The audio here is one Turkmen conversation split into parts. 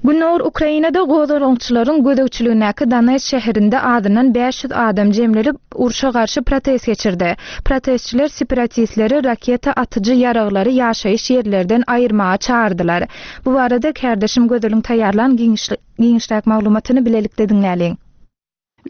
Gündogar Ukrainada gozgalaňçylaryň gözegçiligindäki Donetsk şäherinde azyndan 500 adam jemlenip, urşa garşy protest geçirdi. Protestçiler separatistleri raketa atyjy ýaraglary ýaşaýyş ýerlerden aýyrmaga çagyrdylar. Bu barada kärdeşim Gözeliň taýýarlan giňişräk maglumatyny bilelikde diňläliň.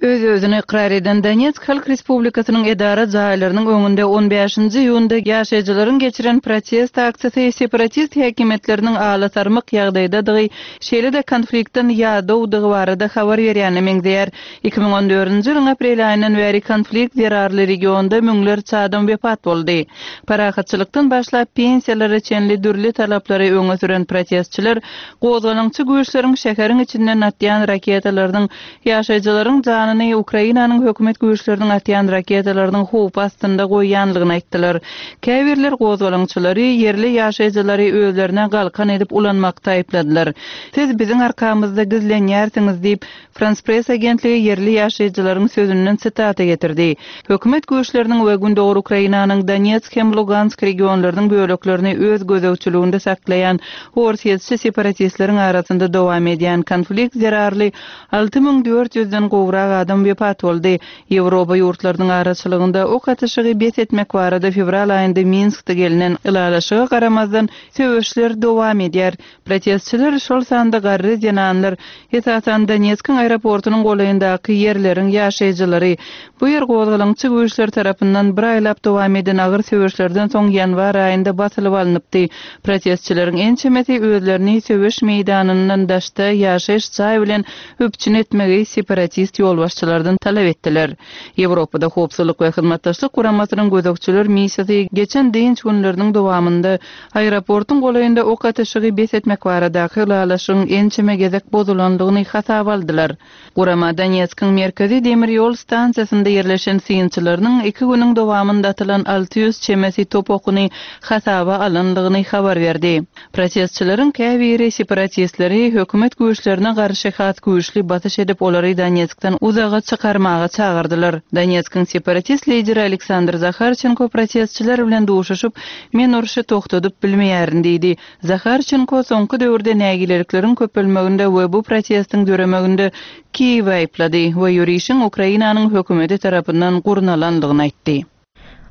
Öz-özüni ykrar eden Donetsk Halk Respublikasynyň edara jaýlarynyň öňünde on bäşinji iýunda ýaşaýjylaryň geçiren protest aksiýasy separatist häkimiýetleriniň alasarmyk ýagdaýdadygy, şeýle-de konfliktden ýadawdygy barada habar berýäne meňzeýär. 2014-nji ýylyň aprel aýyndan bäri konflikt zerarly regionda müňlerçe adam wepat boldy. Parahatçylykdan başlap pensiýalara çenli dürli talaplary öňe süren protestçiler gozgalaňçy güýçleriň şäheriň içinden atýan raketalarynyň Ýaşaýjylaryň janyny Ukrainanyň hökümet güýçleriniň atýan raketalarynyň howpy astynda goýýanlygyny aýtdylar. Käbirler gozgalaňçylary ýerli ýaşaýjylary özlerine galkan edip ulanmakda aýypladylar. Siz biziň arkamyzda gizlenýärsiňiz diýip, Frans Press agentligi ýerli ýaşaýjylaryň sözünden sitata getirdi. Hökümet güýçleriniň we Gündogar Ukrainanyň Donetsk hem Lugansk regionlarynyň böleklerini öz gözegçiliginde saklaýan orsýetçi separatistleriň arasynda dowam edýän konflikt zerarly 6400 den gowrak adam wepat boldy. Ýewropa ýurtlarynyň araçylygynda ok atyşygy bes etmek barada fewral aýynda Minskde gelnen ylalaşyga garamazdan, söweşler dowam edýär. Protestçiler, şol sanda garry zenanlar, esasan Donetskiň aeroportunyň golaýyndaky ýerleriň ýaşaýjylary, bu ýer gozgalaňçy güýçler tarapyndan bir aýlap dowam eden agyr söweşlerden soň ýanwar aýynda basylyp alnypdy. Protestçileriň ençemesi özlerini söweş meýdanyndan daşda ýaşaýyş jaý bilen üpjün etmegi separatist ýolbaşçylardan talap etdiler. Ýewropada Howpsuzlyk we Hyzmatdaşlyk Guramasynyň gözegçiler missiýasy geçen dynç günleriniň dowamynda Aeroportuň golaýynda ok atyşygy bes etmek baradaky ylalaşygyň ençeme gezek bozulandygyny hasaba aldylar. Gurama Donetskiň merkezi demir ýol stansiýasynda ýerleşen synçylarynyň iki günüň dowamynda atylan 600 çemesi top okuny hasaba alandygyny habar berdi. Protestçileriň käbiri separatistleri hökümet güýçlerine garşy has güýçli basyş edip olary Donetskden uzaga çykarmaga çagyrdylar. Donetskiň separatist lideri Aleksandr Zaharçenko protestçiler bilen duşuşyp, Men urşy togtadyp bilmeýärin diýdi. Zaharçenko soňky döwürde nägilelikleriň köpelmeginde we bu protestiň döremeginde Kiýewi aýyplady we ýörişiň Ukrainanyň hökümeti tarapyndan gurnalandygyny aýtdy.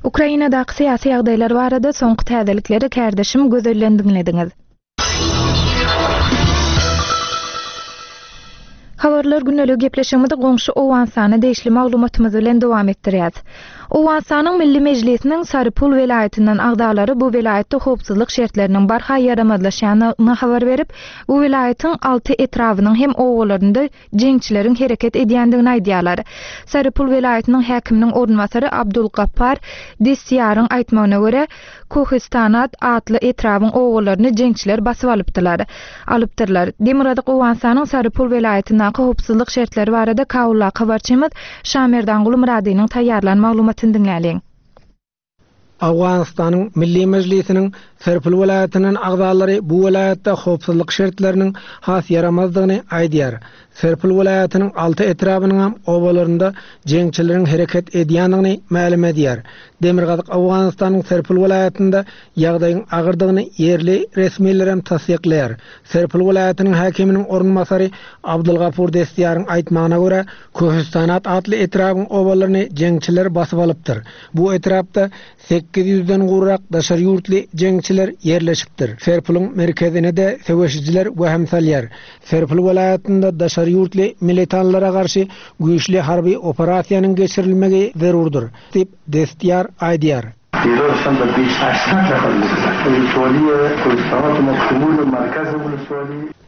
Ukrainadaky syýasy ýagdaýlar barada soňky täzelikleri kärdeşim Gözelden diňlediňiz. Habarlar gündeligi gepleşigimizi goňşy Owganystana degişli maglumatymyz bilen dowam etdirýäs. Owganystanyň Milli Mejlisiniň Sarypul welaýatyndan agzalary bu welaýatda howpsuzlyk şertleriniň barha ýaramazlaşýandygyny habar berip, bu welaýatyň alty etrabynyň hem obalarynda jeňçileriň hereket edýändigini aýdýarlar. Sarypul welaýatynyň häkiminiň orunbasary Abdul Gappar Destiýaryň aýtmagyna görä, Kohistanat atly etrabyň obalaryny jeňçiler basyp alypdylar. Alypdyrlar. Demirgazyk Owganystanyň Sarypul welaýatyndaky howpsuzlyk şertleri barada Kabuldaky habarçymyz Şamerdanguly Myradynyň taýýarlan maglumatyny diňläliň. Owganystanyň Milli Mejlisiniň Serpil welaýatyndan agzalary bu welaýatda howpsuzlyk şertleriniň has ýaramazdygyny aýdýar. Serpil welaýatynyň alty etrabynyňam obalarynda jeňçileriň hereket edýändigini mälim edýär. Demirgazyk Owganystanyň Serpil welaýatynda ýagdaýyň agyrdygyny ýerli resmilerem tassyklaýar. Serpil welaýatynyň häkiminiň orunbasary Abdulgapur Destiýaryň aýtmagyna görä, Köhüstanat atly etrabyň obalaryny jeňçiler basyp alypdyr. Bu etrapda 800-den gowrak daşary ýurtly jeňçiler ýerleşipdir. Serpulyň merkezine-de söweşijiler wehim salýar. Serpil welaýatynda daşary ýurtly militanlara garşy güýçli harby operasiýanyň geçirilmegi zerurdyr, diýip, Destýar aýdýar.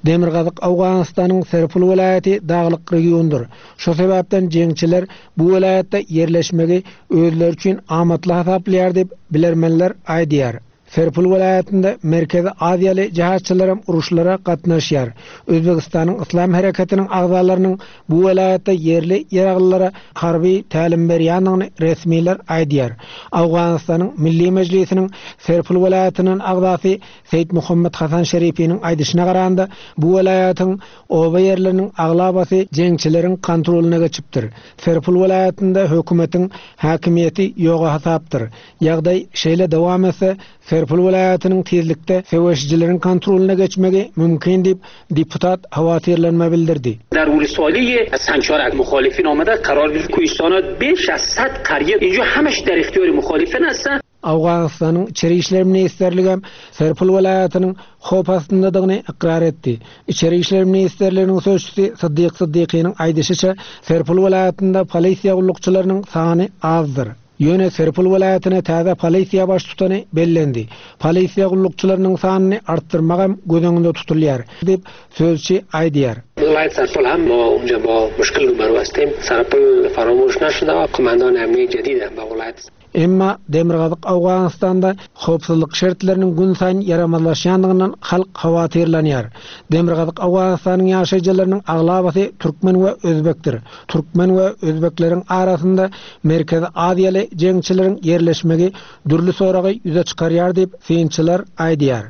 Demirgazyk Owganystanyň Serpil welaýaty daglyk regiondyr. Şo sebäpden jeňçiler bu welaýatda ýerleşmegi özleri üçin amatly hasaplaýar diýip, bilermenler aýdýar. Serpil welaýatynda Merkezi Aziýaly jihatçylaram uruşlara gatnaşýar. Özbegistanyň Yslam hereketiniň agzalarynyň bu welaýatda ýerli ýaraglylara harby tälim berýändigini resmiler aýdýar. Owganystanyň Milli Mejlisiniň Serpil welaýatyndan agzasy Seýit Muhammet Hasan Şerifiniň aýdyşyna garanda, bu welaýatyň oba ýerleriniň aglabasy jeňçileriň kontrolyna geçipdir. Serpil welaýatynda hökümetiň häkimiýeti ýoga hasapdyr. Ýagdaý şeýle dowam etse, Serpil welaýatynyň tizlikde söweşijileriň kontrolyna geçmegi mümkin diýip, deputat howatyrlanma bildirdi. در ولسوالی سنچارک مخالفین آمده قرار گرفت کوهستانات بیش از 100 قریه اینجا همش در اختیار مخالفین هستند. Owganystanyň Içeri işler ministrligem Serpil welaýatynyň howp astyndadygyny ykrar etdi. Içeri işler ministrliginiň sözçüsi Syddyk Syddykynyň aýdyşyça, Serpil welaýatynda polisiýa gullukçylarynyň sany azdyr. Ýöne Serpil welaýatyna täze polisiýa baştutany bellendi. Polisiýa gullukçylarynyň sanyny artdyrmagam göz öňünde tutulýar, diýip, sözçi aýdýar. ولایت سرپل هم ما اونجا با مشکل روبرو هستیم سرپل فراموش نشده و قماندان امنی جدید هم به ولایت Emma demirgazyk Owganystanda howpsuzlyk şertleriniň günsaýyn ýaramazlaşýandygyndan halk howatyrlanýar. Demirgazyk Owganystanyň ýaşaýjylarynyň aglabasy türkmen we özbekdir. Türkmen we özbekleriň arasynda Merkezi Aziýaly jeňçileriň ýerleşmegi dürli soragy ýüze çykarýar diýip, synçylar aýdýar.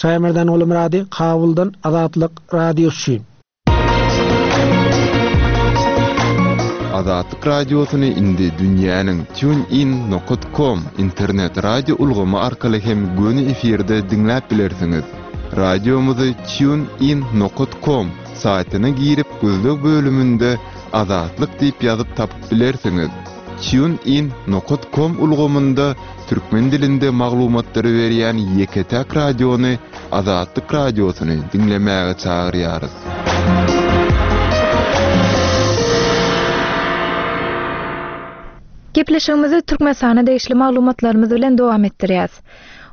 Şaýmerdan Gulumyrady, Kabuldan Azatlyk Radiosy üçin. Azatlyk Radiosyny indi dünýäniň TuneIn nokat com internet radio ulgamy arkaly hem göni efirde diňläp bilersiňiz. Radiomyzy TuneIn nokat com saýtyna girip gözleg bölüminde Azatlyk diýip ýazyp tapyp bilersiňiz. TuneIn nokat com ulgamynda türkmen dilinde maglumatlary berýän ýeke-täk radiony Azatlyk Radiosyny diňlemäge çagyrýarys. Gepleşigimizi Türkmenistana degişli maglumatlarymyz bilen dowam etdirýäs.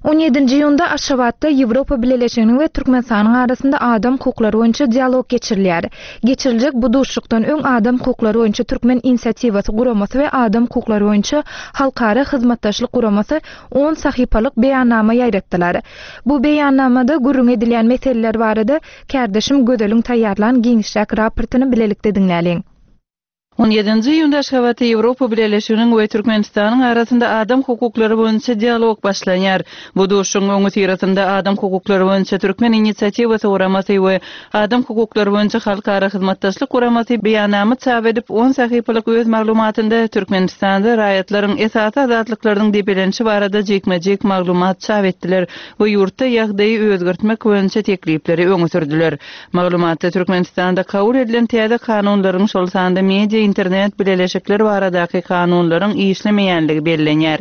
On ýedinji iýunda Aşgabatda Ýewropa Bileleşiginiň we Türkmenistanyň arasynda adam hukuklary boýunça dialog geçirilýär. Geçiriljek bu duşuşykdan öň Adam hukuklary boýunça Türkmen inisiatiwasy guramasy we Adam hukuklary boýunça Halkara hyzmatdaşlyk guramasy on sahypalyk beýannama ýaýratdylar. Bu beýannamada gürrüň edilýän meseleler barada kärdeşim Gözeliň taýýarlan giňişräk raportyny bilelikde diňläliň. On ýedinji iýunda Aşgabatda Ýewropa Bileleşiginiň we Türkmenistanyň arasynda adam hukuklary boýunça dialog başlanýar. Bu duşuşygyň öňüsyrasynda Adam hukuklary boýunça Türkmen inisiatiwasy guramasy we Adam hukuklary boýunça Halkara hyzmatdaşlyk guramasy beýannama çap edip, on sahypalyk öz maglumatynda Türkmenistanda raýatlaryň esasy azatlyklarynyň depelenişi barada jikme-jik maglumat çap etdiler we ýurtda ýagdaýy özgertmek boýunça teklipleri öňe sürdüler. Maglumatda Türkmenistanda kabul edilen täze kanunlaryň, şol sanda media, internet bileleşikler baradaky kanunlaryň işlemeýänligi bellenýär.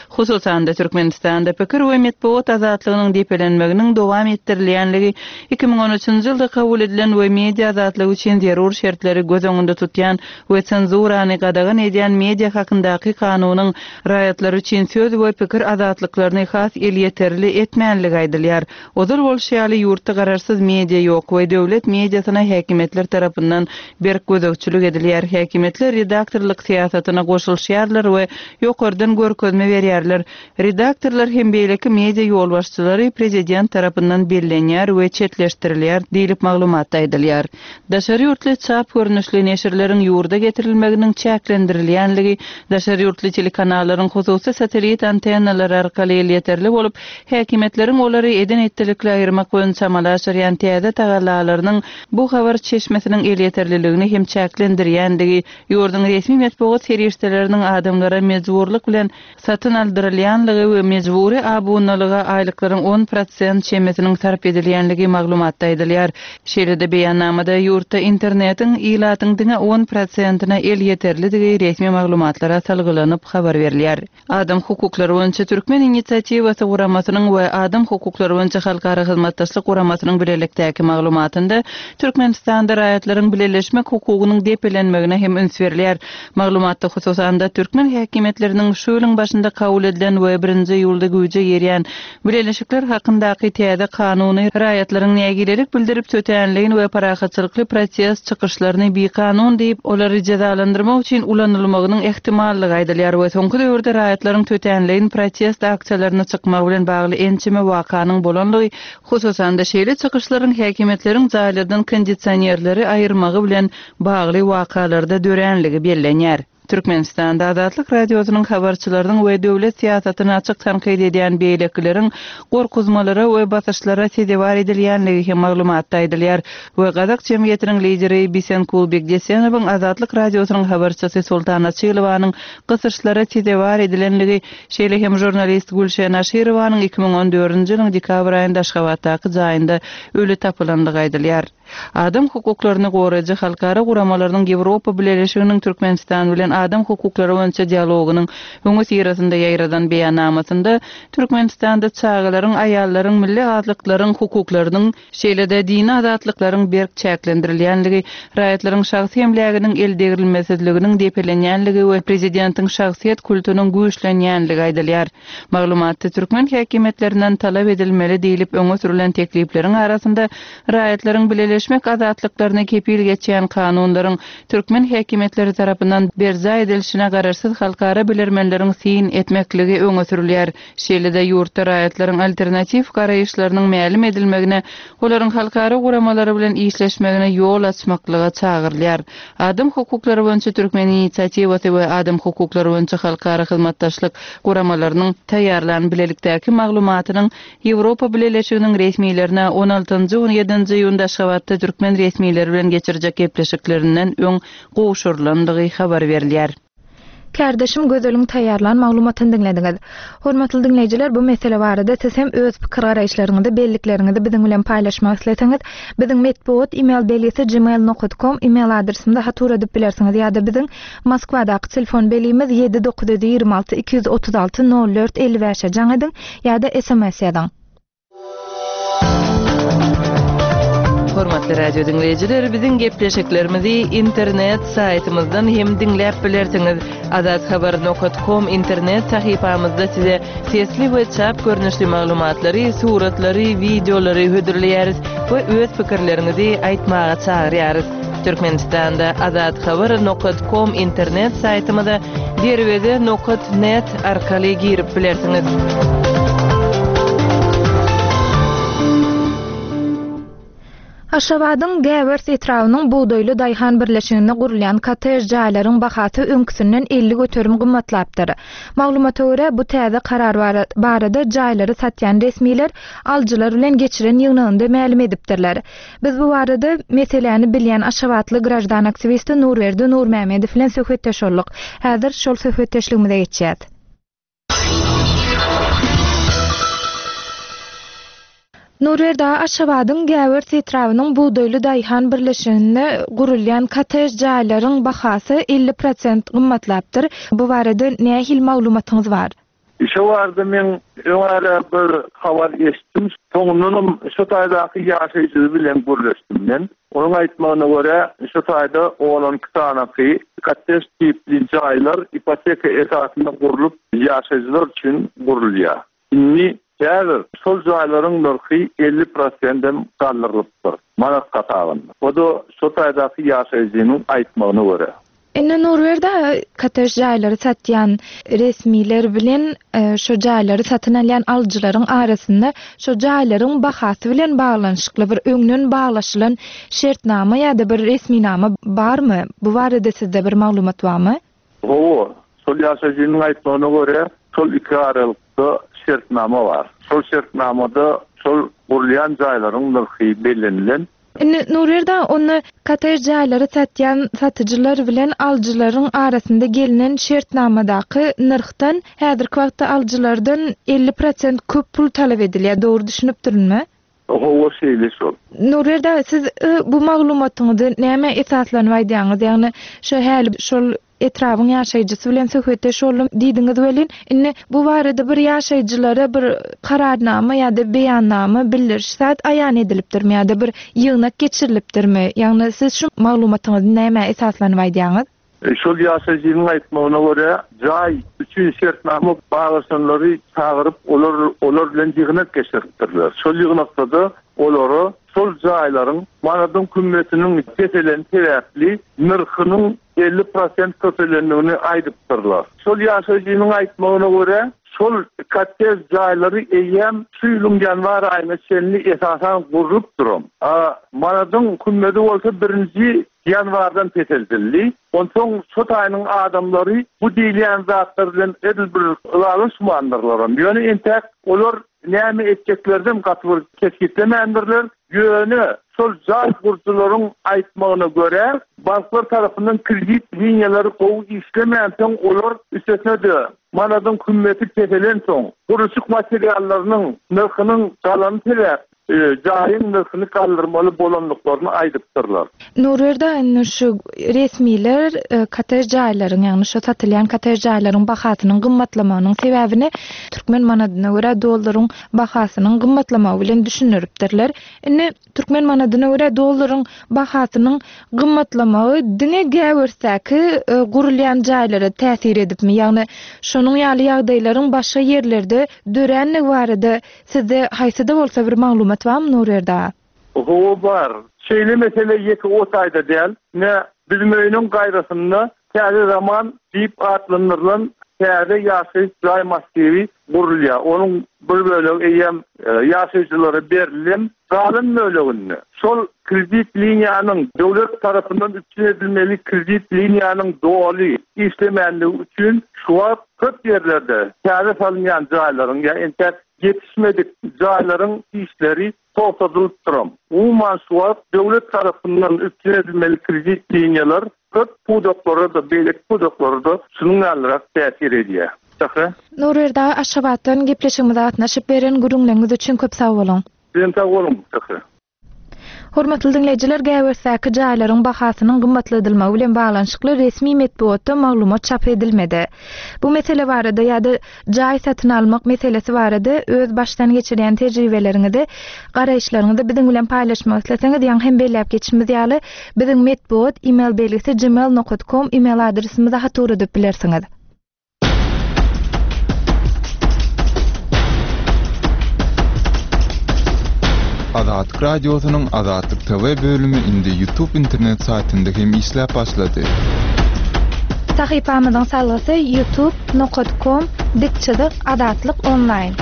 Hususan-da, Türkmenistanda pikir we metbugat azatlygynyň depelenmeginiň dowam etdirilýänligi, 2013-nji ýylda kabul edilen we media azatlygy üçin zerur şertleri göz öňünde tutýan we senzurany gadagan edýän Media hakyndaky kanunyň raýatlar üçin söz we pikir azatlyklaryny has elýeterli etmänligi aýdylýar. Ozal bolşy ýaly, ýurtda garaşsyz media ýok we döwlet mediasyna häkimiýetler tarapyndan berk gözegçilik edilýär. Häkimiýetler redaktorlyk syýasatyna goşulyşýarlar we ýokardan görkezme berýärler. Redaktorlar hem beýleki media ýolbaşçylary prezident tarapyndan bellenýär we çetleşdirilýär diýlip maglumatda aýdylýar. Daşary ýurtly çap görnüşli neşirleriň ýurda getirilmeginiň çäklendirilýänligi, daşary ýurtly telekanallaryň hususy satellit antennalary arkaly elýeterli bolup, Häkimiýetleriň olary eden-etdilikli aýyrmak boýunça amala aşyrýan täze tagallalarynyň bu habar çeşmesiniň elýeterliligini hem çäklendirýändigi, ýurduň resmi metbugat serişdeleriniň adamlara mejburlyk bilen satyn aldyrylýanlygy we mejbury abunalyga aýlyklaryň on prosent çemesiniň sarp edilýänligi maglumatda aýdylýar. Şeýle-de beýannamada ýurtda internetiň ilatyň diňe on prosentine elýeterlidigi resmi maglumatlara salgylanyp habar berilýär. Adam hukuklary boýunça Türkmen inisiatiwasy guramasynyň we Adam hukuklary boýunça Halkara hyzmatdaşlyk guramasynyň bilelikdäki maglumatynda Türkmenistanda raýatlaryň bileleşmek hukugynyň depelenmegine hem üns berilýär. Maglumatda hususan-da, türkmen häkimiýetleriniň şu ýylyň başynda kabul edilen we birinji iýulda güýje girýän Bileleşikler hakyndaky täze kanuny raýatlaryň nägilelik bildirip tötänleýin we parahatçylykly protest çykyşlaryny bikanun diýip, olary jezalandyrmak üçin ulanylmagynyň ähtimallygy aýdylýar we soňky döwürde raýatlaryň tötänleýin protest aksiýalaryna çykmagy bilen bagly ençeme wakanyň bolanlygy, hususan-da şeýle çykyşlaryň häkimiýetleriň jaýlardan kondisionerleri aýyrmagy bilen bagly wakalarda döränligi bellenýär. Türkmenistanda Azatlyk Radiosynyň habarçylarynyň we döwlet syýasatyny açyk tankyt edýän beýlekileriň gorkuzmalara we basyşlara sezewar edilýänligi hem maglumatda aýdylýar we gazak jemgyýetiniň lideri Bisenkul Bekdesenowyň Azatlyk Radiosynyň habarçysy Sultan Açylowanyň gysyşlara sezewar edilenligi, şeýle hem žurnalist Gülşen Aşyrowanyň 2014-nji ýylyň dekabr aýynda Aşgabatdaky jaýynda öli tapylandygy aýdylýar. Adam hukuklaryny goraýjy halkara guramalarynyň Ýewropa Bileleşiginiň Türkmenistan bilen adam hukuklary boýunça dialogynyň öňüsyrasynda ýaýradan beýannamasynda Türkmenistanda çagalaryň, aýallaryň, milli azlyklaryň hukuklarynyň, şeýle-de dini azatlyklaryň berk çäklendirilýänligi, raýatlaryň şahsy emläginiň eldegrilmesizliginiň depelenýänligi we prezidentiň şahsyýet kultunyň güýçlenýänligi aýdylýar. Maglumatda türkmen häkimiýetlerinden talap edilmeli diýlip öňe sürlen teklipleriň arasynda raýatlaryň bileleşmek azatlyklaryna kepil geçýän kanunlaryň türkmen häkimiýetleri tarapyndan berjaý edilişine garaşsyz halkara bilermenleriň syn etmekligi öňe sürülýär. Şeýle-de ýurtda raýatlaryň alternatiw garaýyşlarynyň mälim edilmegine, olaryň halkara guramalary bilen işleşmegine ýol açmaklyga çagyrylýar. Adam hukuklary boýunça Türkmen inisiatiwasy we Adam hukuklary boýunça halkara hyzmatdaşlyk guramalarynyň taýýarlan bilelikdäki maglumatynyň Ýewropa Bileleşiginiň resmilerine on altynjy, on ýedinji iýunda Aşgabatda türkmen resmileri bilen geçirjek gepleşiklerinden öň gowşurylandygy habar berilýär. Kärdeşim Gözeliň taýýarlan maglumatyny diňlediňiz. Hormatly diňleýjiler, bu mesele barada siz hem öz pikir-garaýyşlaryňyzy, bellikleriňizi biziň bilen paýlaşmak isleseňiz, biziň metbugat email belgisi gmail nokat kom email adresimize hat ugradyp bilersiňiz ýa-da biziň Moskwadaky telefon belgimiz 7 926 236 04 55-e jaň ediň ýa-da sms ýazyň. Hormatly radio diňleýjiler, biziň gepleşiklerimizi internet saýtymyzdan hem diňläp bilersiňiz. Azathabar.com internet sahypamyzda size sesli we çap görnüşli maglumatlary, suratlary, wideolary hödürleýäris we öz pikirleriňizi aýtmaga çagyrýarys. Türkmenistanda Azathabar nokat kom internet saýtymyza derweze nokat net arkaly girip bilersiňiz. Aşgabadyň Gäwers etrabynyň Bugdaýly daýhan birleşiginde gurulýan kottej jaýlaryň bahasy öňküsinden 50% gymmatlapdyr. Maglumata görä, bu täze karar barada jaýlary satýan resmiler alyjylar bilen geçiren ýygnagynda mälim edipdirler. Biz bu barada meseläni bilýän aşgabatly graždan aktiwisti Nurberdi Nurmämmedow bilen söhbetdeş bolduk. Häzir şol söhbetdeşligimize geçýäs. Nurberdi aga, Aşgabadyň Gäwers etrabynyň Bugdaýly daýhan birleşiginde gurulýan kottej jaýlaryň bahasy 50 prosent gymmatlapdyr. Bu barada nähili maglumatyňyz bar? Şo barada men öň ara bir habar eşitdim. Soňundanam şo taýdaky ýaşaýjy bilen gürleşdim men. Onuň aýtmagyna görä, şo taýda on-on iki sanaky kottej tipli jaýlar ipoteka esasynda gurlup, ýaşaýjylar üçin gurulýar. Indi häzir şol jaýlaryň nyrhy 50 prosendem galdyrylypdyr, manat hasabynda. O-da şo taýdaky ýaşaýjynyň aýtmagyna görä. Indi Nurberdi aga, kottej jaýlary satýan resmiler bilen şo jaýlary satyn alýan alyjylaryň arasynda şo jaýlaryň bahasy bilen baglanyşykly bir öňden baglaşylan şertnama ýa-da bir resminama barmy? Bu barada sizde bir maglumat barmy? Hawa, şol ýaşaýjynyň aýtmagyna görä, şol iki aralykda şertnama bar. Şol şertnamada şol gurulýan jaýlaryň nyrhy bellenilen. Indi Nurberdi aga, onda kottej jaýlary satýan satyjylar bilen alyjylaryň arasynda gelnen şertnamadaky nyrhdan häzirki wagtda alyjylardan 50 prosent köp pul talap edilýär, dogry düşünipdirinmi? Hawa, şeýle şol. Nurberdi aga, siz bu maglumatyňyzy nämä esaslanyp aýdýaňyz? Ýagny şo häli şol etrabyň ýaşaýjysy bilen söhbetdeş boldum diýdiňiz welin, indi bu barada bir ýaşaýjylara bir kararnama ýa-da beýannama, bildiriş zat aýan edilipdirmi ýa-da bir ýygnak geçirilipdirmi? Ýagny siz şu maglumatyňyzy nämä esaslanyp aýdýaňyz? Şol ýaşaýjynyň aýtmagyna görä, jaý üçin şertnama baglaşanlary çagyryp, olar olar bilen ýygnak geçiripdirler. Şol ýygnakda-da olara şol jaýlaryň manadyň hümmetiniň peseleni sebäpli nyrhynyň 50 prosent köpelendigini aýdypdyrlar. Şol ýaşaýjynyň aýtmagyna görä, Şol kottej jaýlary eýýäm şu ýylyň ýanwar aýyna çenli esasan gurlup duran. A manadyň hümmedi bolsa birinji ýanwardan peseldildi. Onsoň şo taýynyň adamlary bu diýilýän zatlar bilen edil bir ylalaşmandyrlaram. Ýöne entäk olar näme etjeklerinem gaty bir kesgitlemändirler. Ýöne şol jaý gurujylaryň aýtmagyna görä, banklar tarapyndan kredit liniýalary gowy işlemänsoň, olar üstesine-de manadyň hümmeti peselensoň, gurluşyk materiallarynyň nyrhynyň galany sebäpli, jaýyň nyrhyny galdyrmaly bolandyklaryny aýdypdyrlar. Nurberdi indi şu resmiler kottej jaýlaryň, ýagny şu satylýan kottej jaýlaryň bahasynyň gymmatlamagynyň sebäbini türkmen manadyna görä dollaryň bahasynyň gymmatlamagy bilen düşündiripdirler. Indi türkmen manadyna görä dollaryň bahasynyň gymmatlamagy diňe Gäwersdäki gurulýan jaýlara täsir edipmi? Ýagny şonuň ýaly ýagdaýlaryň başga ýerlerde döränligi barada sizde haýsy-da bolsa bir maglumat barmy Nurberdi aga? Hawa bar. Şeýle mesele ýeke o taýda däl. Ine, biziň öýüniň gaýrasynda Täze zaman diýip atlandyrylan täze ýaşaýyş jaý massiwi gurulýar. Onuň bir bölegi eýýäm ýaşaýjylara berildi. Galan böleginde şol kredit liniýanyň döwlet tarapyndan üpjün edilmeli kredit liniýanyň doly işlemänligi üçin şu wagt köp ýerlerde täze salynýan jaýlaryň ýa entäk ýetişmedik jaýlaryň işleri togtadylypdyram. Umuman şu wagt döwlet tarapyndan üpjün edilmeli kredit liniýalar köp pudaklara-da, beýleki pudaklara-da şunuň ýalyrak täsir edýär. Sähra. Nurberdi aga Aşgabatdan gepleşigimize gatnaşyp beren gürrüňleriňiz üçin köp sag boluň. Sizem sag boluň, Sähra. Hormatly diňleýjiler, Gäwersdäki jaýlaryň bahasynyň gymmatladylmagy bilen baglanyşykly resmi metbugatda maglumat çap edilmedi. Bu mesele barada ýa-da jaý satyn almak meselesi barada öz başdan geçirýän tejribeleriňizi, garaýyşlaryňyzy biziň bilen paýlaşmak isleseňiz, ýaňy hem belläp geçişimiz ýaly, biziň metbugat email belgisi gmail nokat kom email adresimize hat ugradyp bilersiňiz. Azatlyk Radiosynyň Azatlyk TV bölümi indi YouTube internet saýtynda hem işläp başlady. Sahypamyzyň salgysy youtube nokat kom dik çyzyk azatlyk onlaýn.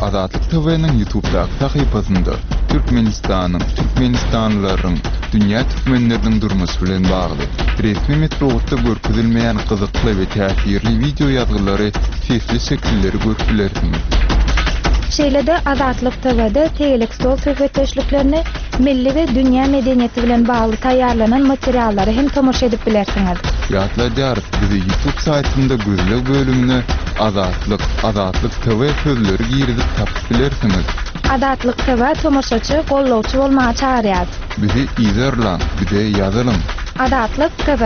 Azatlyk TV-niň YouTubedaky sahypasynda Türkmenistanyň, türkmenistanlylaryň, dünýä türkmenleriniň durmuşy bilen bagly, resmi metbugatda görkezilmeýän gyzykly we täsirli wideo ýazgylary, sesli şekilleri görüp bilersiňiz. Şeýle-de Azatlyk TW-de tegelek stol söhbetdeşliklerini, milli we dünýä medeniýeti bilen bagly taýýarlanan materiallara hem tomaşa edip bilersiňiz. Ýatladýarys, bizi YouTube saýtynda gözleg bölümine Azatlyk, Azatlyk TV sözleri girizip tapyp bilersiňiz. Azatlyk TV tomaşaçy, gollawçy bolmaga çagyrýar. Bizi yzarlaň, bize ýazylyň. Azatlyk TV.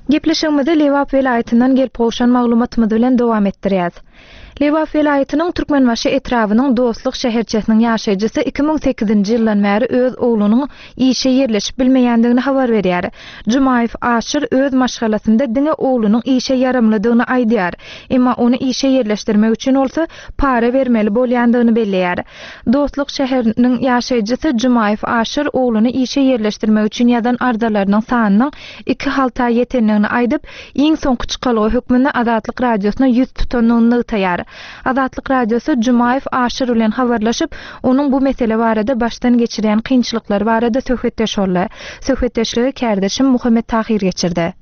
Gepleşigimizi Lebap welaýatyndan gelip gowşan maglumatymyz bilen dowam etdirýäs. Lebap welaýatynyň Türkmenbaşy etrabynyň Dostluk şäherçesiniň ýaşaýjysy 2008-nji ýyldan bäri öz oglunyň işe ýerleşip bilmeýändigini habar berýär. Jumaýew Aşyr öz maşgalasynda diňe oglunyň işe ýaramlydygyny aýdýar. Emma ony işe ýerleşdirmek üçin bolsa para bermeli bolýandygyny belleýär. Dostluk şäheriniň ýaşaýjysy Jumaýew Aşyr ogluny işe ýerleşdirmek üçin ýazan arzalarynyň sanynyň iki halta ýetendigini aýdyp, iň soňky çykalga hökmünde Azatlyk Radiosyna ýüz tutandygyny nygtaýar. Azatlyk Radiosy Jumaýew Aşyr bilen habarlaşyp, onuň bu mesele barada başdan geçirýän kynçylyklary barada söhbetdeş boldy. Söhbetdeşligi kärdeşim Muhammet Tahyr geçirdi.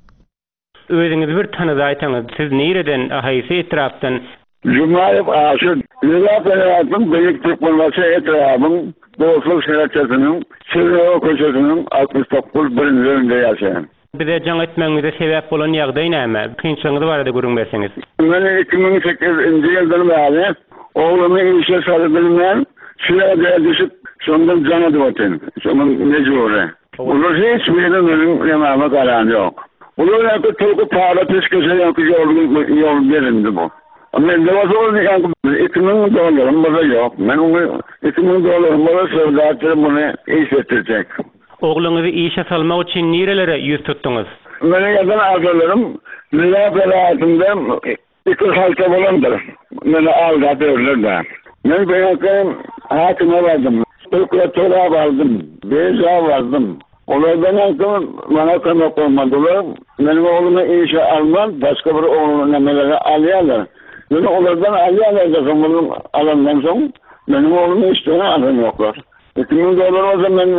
Özüňizi bir tanydaýsaňyz, siz nireden, haýsy etrapdan? Jumaýew Aşyr, Lebap welaýatynyň Beýik Türkmenbaşy etrabyň Dostluk şäherçesiniň Şirinowa köçesiniň 69 birinji öýünde ýaşaýan. Bize jaň etmegiňize sebäp bolan ýagdaý näme? Kynçylygyňyz barada gürrüň berseňiz. Men 2008 nji ýyldan bäri oglumy işe salybilmän, şu ýagdaýa düşüp, şondan jaň edip otyryn. Şoňa mejbury. Olar hiç biri meniň ýaňagyma garany ýok. Olar ýaňky tulky para peşgeşe ýaňky ýol ýol berindi bu. Mende bolsa ol ýaňky 2000 dollarym bolsa ýok. Men ony 2000 dollarym bolsa söwda etdirip muny iş etdirjek. Ogluňyzy işe salmak üçin nirelere ýüz tutduňyz? Meniň ýazan arzalarym Lebap welaýatynda Iki halta bolandyr. Meni aldap ýörler-dä. Men bu ýerde häkime bardym, prokuratura bardym, birža bardym. Olardan soň maňa kömek bolmadylar. Meniň oglumy işe alman, başga bir ogluny nämelere alýarlar. Ýöne olardan alýarlar-da, soň onuň alandan soň meniň oglumy işden alanoklar. 2000 dollar bolsa men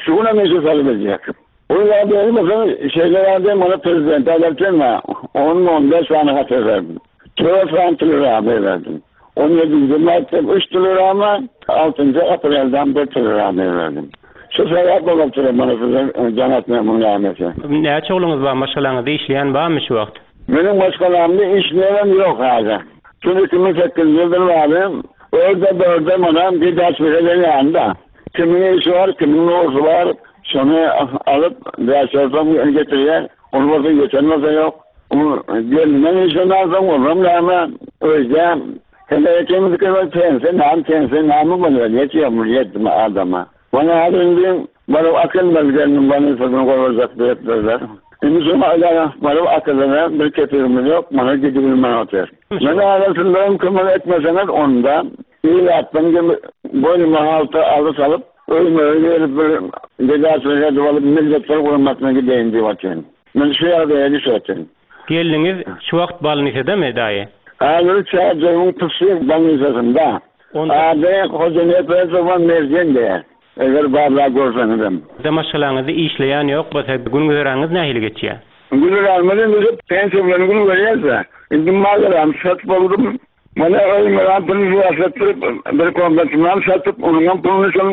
şu günem işe salybiljek. Ol ýagdaýy bolsa şeýle ýagdaý maňa prezidente aýdarken-ä, on-on bäş sany hat berdim. Dört sany telegramma berdim. On ýedinji martda üç telegramma, altynjy aprelden bir telegramma berdim. Şu sebäp bolup dur mana size jaň etmegimiň nämesi. Näçe ogluňyz bar, maşgalaňyzda işleýän barmy şu wagt? Meniň maşgalamda işleýänem ýok häzir. Şu 2008-nji ýyldan bäri örde-börde mana gidaçlyk eden ýanynda. Kimiň işi bar, kimiň nowsy bar, şony alyp bäş-dört som getirýär. Ol bolsa ýeten bolsa ýok. Gelninden işini alsaň olam näme öýde heleý ekemiz kömek pense näme pense näme bolýar ýetýär bu ýetme adama. Bana häzir indi baryp akylmaz gelnim bolnisadan goýberjek diýipdirler. Indi şoňa aýdara baryp akylana bir kepigimiz ýok mana gidibilmän otyr. Men häzir sizlerem kömek etmeseňiz onda ilatdan boýnuma halta aly salyp öýüme gelip bir gedaçylyk edip alyp milletler guramasyna gideýin diýip otyryn. Men şu ýagdaýa düşerdim. Gelniňiz şu wagt bolnisadamy, daýy? Häzir Çärjewiň psih bolnisasynda. Ady Hojanepesowa Merjen diýýär. Eger barlap görseňizem. Size maşgalaňyzda işleýän ýok bolsa, gün-güzeranyňyz nähili geçýär? Güzeranymyz indi şu pensiýa bilen gün görýäs-dä. Indi maldaram satyp boldum. Mana öýümiňem puluny ýaşatdyryp, bir komnatymam satyp, onuňam puluny şol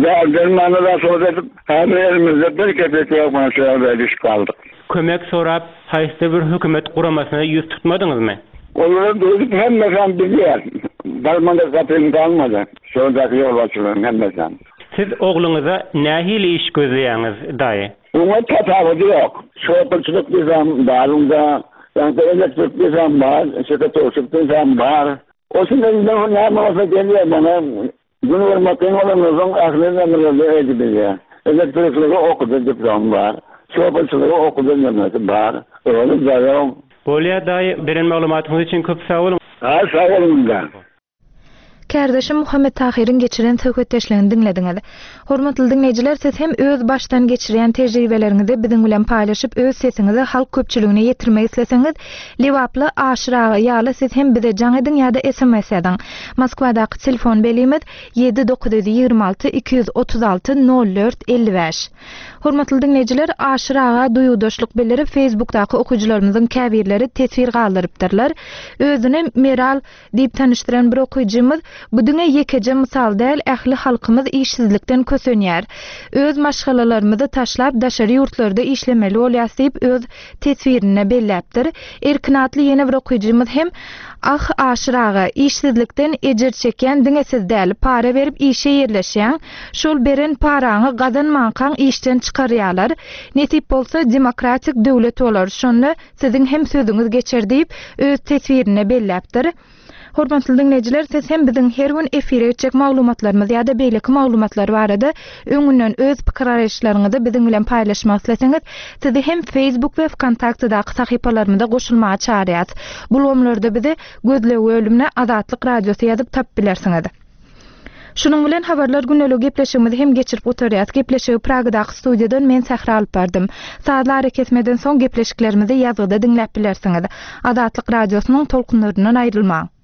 däri-dermana raswat edip, häzir elimizde bir kepek ýok, mana şu ýagdaýa düşüp galdyk. Kömek sorap, haýsydyr bir hökümet guramasyna ýüz tutmadyňyzmy? Olary duýdup hemmesem bilýär. Barmadyk gapym galmady. Şondaky ýolbaşçylaryň hemmesem. Siz ogluňyza nähili iş gözleýäňiz, daýy? Oňa tapawudy ýok. Şoförçilik diýsem bar onda, ýa-da elektrik diýsem bar, şekatowşik diýsem bar. O şunda indi näme bolsa gelýär maňa. Gün görmek kyn bolandan soň ähli nämeleri edibilýär. Elektrikligi okudy diplom bar. Şoförçiligi okudy nemesi bar. Özi daýaw. Bolýar daýy, beren maglumatyňyz üçin köp sag boluň. Ha sag boluň indi. Kärdeşim Muhammet Tahyryň geçiren söhbetdeşligini diňlediňiz. Hormatly diňleýjiler, siz hem öz başdan geçirýän tejribeleriňizi biziň bilen paýlaşyp, öz sesiňizi halk köpçüligine ýetirmek isleseňiz, Lebaply Aşyr aga ýaly siz hem bize jaň ediň ýa-da sms ýazyň. Moskwadaky telefon belgimiz, ýedi 926 236 04 55. Hormatly diňleýjiler, Aşyr aga duýgudaşlyk bildirip, Facebookdaky okyjylarymyzyň käbirleri teswir galdyrypdyrlar. Özüni Meral Diýip tanyşdyran bir okyjymyz, Bu diňe ýekeje mysal däl, ähli halkymyz işsizlikden kösenýär. Öz maşgalalarymyzy taşlap daşary ýurtlarda işlemeli bolýas diýip öz teswirinde belläpdir. Erkin atly ýene bir okyjymyz hem, Ah, Aşyr aga, işsizlikden ejir çekýän diňe siz däl, para berip işe ýerleşýäň, şol beren paraňy gazanmankaň işden çykarýalar. Nesip bolsa demokratik döwlet bolar, şonda Siziň hem sözüňiz geçer diýip, öz teswirinde belläpdir. Hormatly diňleýjiler, siz hem biziň her gün efire geçjek maglumatlarymyz ýa-da beýleki maglumatlar barada öňünden öz pikir-garaýyşlaryňyzy biziň bilen paýlaşmak isleseňiz, sizi hem Facebook we Wkontaktedaky sahypalarymyza goşulmaga çagyrýarys. Bu ulgamlarda bizi gözleg bölümine Azatlyk Radiosy ýazyp tapyp bilersiňiz. Şunuň bilen Habarlar gündeliği gepleşigimizi hem geçirip gutarýas. Gepleşigi Pragadaky studiýadan men Sähra alyp bardym. Sazly arakesmeden soň gepleşiklerimizi ýazgyda diňläp bilersiňiz. Azatlyk Radiosynyň tolkunlaryndan aýrylmaň!